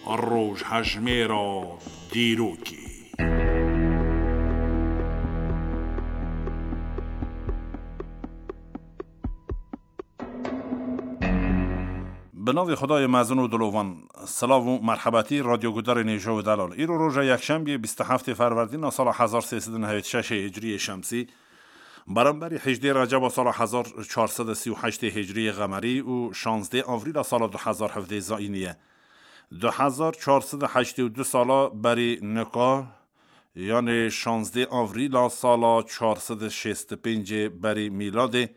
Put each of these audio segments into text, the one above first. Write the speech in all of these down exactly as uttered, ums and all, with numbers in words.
Rojhejmêra dîrokê. Bi navê Xwedayê mezin û dilovan, silav û merhebetî radyogudarên hêja û delal. Îro roja yekşembiyê bîst û heftê Ferwerdîna sala hezar sê sed û nehewêt şeşê Hicriyê Şemsî, beramberî hejdê Receba sala hezar çar sed û sî û heştê Hicriyê Qemerî û şazdê Avrîla sala du hezar hevdê Zayînî ye. Du hezar çar sed û heştê û du sala berî nika, yanê şazdê Avrîla sala çar sed û şêst û pêncê berî mîladê,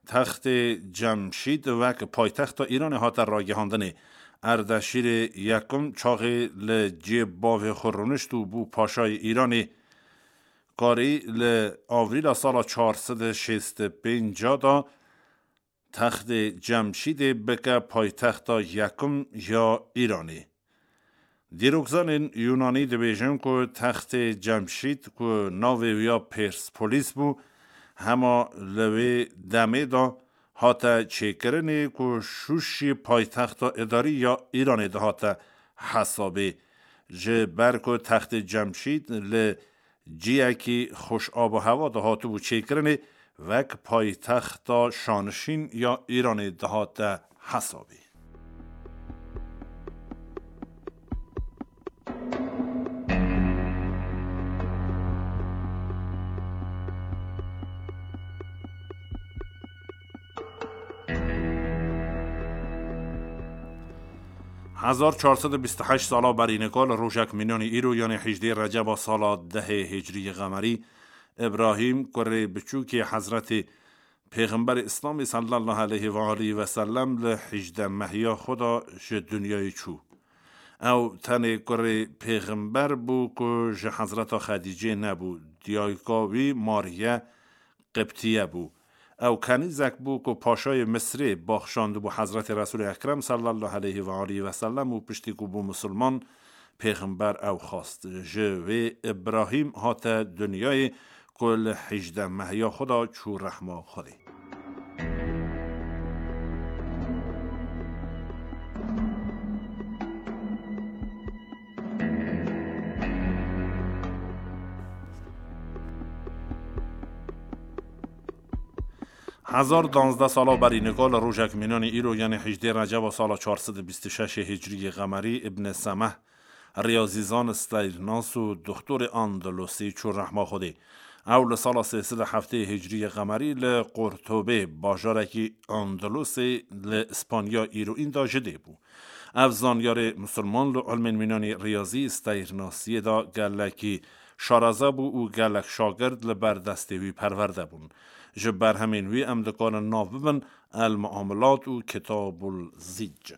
textê Cemşîd wek paytexta Îranê hate ragihandinê. Erdeşîrê yekim çaxê li cê bavê xwe rûnişt û bû paşayê Îranê. Karî li Avrîla sala çar sed û şêst û pênc de textê Cemşîdê bike paytexta yekim ya Îranê. Dîrokzanên Yûnanî dibêjin ku textê Cemşîd ku navê wî ya Perspolis bû, hema li wê demê de hate çêkirinê ku Şûşî paytexta îdarî ya Îranê dihate hesabê. Ji ber ku textê Cemşîd li ciyekî xweş ab û hewa dihatibû çêkirinê, wek paytexta şanişîn ya Îranê dihate hesabê. Hezar çar sed û bîst û heşt sala berî nika li rojek mînanî îro, yanê hejdê Receba sala dehê Hicriyê Qemerî, Îbrahîm, kurê biçûkê Hezretê Pêxemberê Îslamê sallallahu aleyhi ve aleyhi ve sellem, li hejdeh mehiya xwe de ji dinyayê çû. Ew tenê kurê Pêxember bû ku ji Hezreta Xedîcê nebû, diyayka wî Mariye Qibtiye bû. Ew kenîzek bû ku paşayê Misrê baxşandibû Hezretê Resûlê Ekrem sallallahu aleyhi ve aleyhi ve sellem û piştî ku bû misilman, Pêxember ew xwest. Ji wê Îbrahîm hate dinyayê ku li hejdeh mehiya xwe de çû rehma Xwedê. Hezar danzdeh sala berî nika li rojek mînanî îro, yanê hejdê Receba sala çar sed û bîst û şeşê Hicriyê Qemerî, Îbn Semeh, riyazîzan, stêrnas û doxtorê Andalusî çû rehma Xwedê. Ew li sala sê sed û heftê Hicriyê Qemerî li Qurtubê, bajarekî Andalusê li Îspanya îroîn de ji dê bû. Ev zanyarê misilman li ilmên mînanî riyazî, stêrnasiyê de gelekî şareze bû û gelek şagird li ber destê wî perwerde bûn. Ji berhemên wî em dikarin nav bibin El Muamilat û Kitabul Zîc.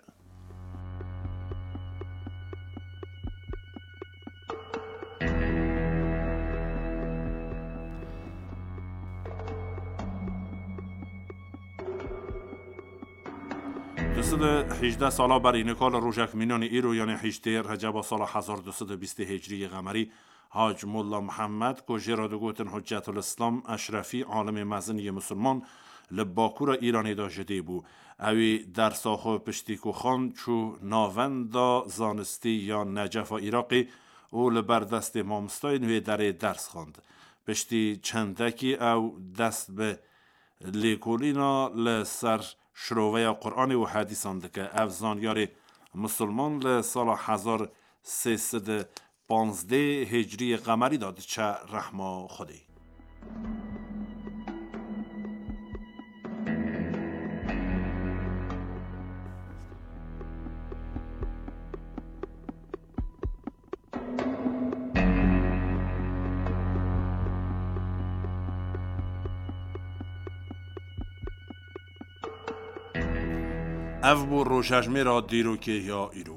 Du sed û hejdeh sala berî nika li rojek mînanî îro, yanê hejdê Receba sala hezar du sed û bîstê Hicriyê Qemerî, Hac Molla Muhammed, ku jê re digotin Hüccetul Îslam Eşrefî, alimê mezin yê misilman, li bakûra Îranê de ji dê bû. Ewî dersa xwe piştî ku xwend çû navenda zanistî ya Necefa Iraqê û li ber destê mamostayên wê derê ders xwend. Piştî çendekî ew dest bi lêkolîna li ser şiroveya Quranê û hedîsan dike. Ev zanyarê misilman li sala hezar sê sed û panzdeh Hicriyê Qemerî de diçe rehma Xwedê. Ev bû rojhejmêra dîrokê ya îro.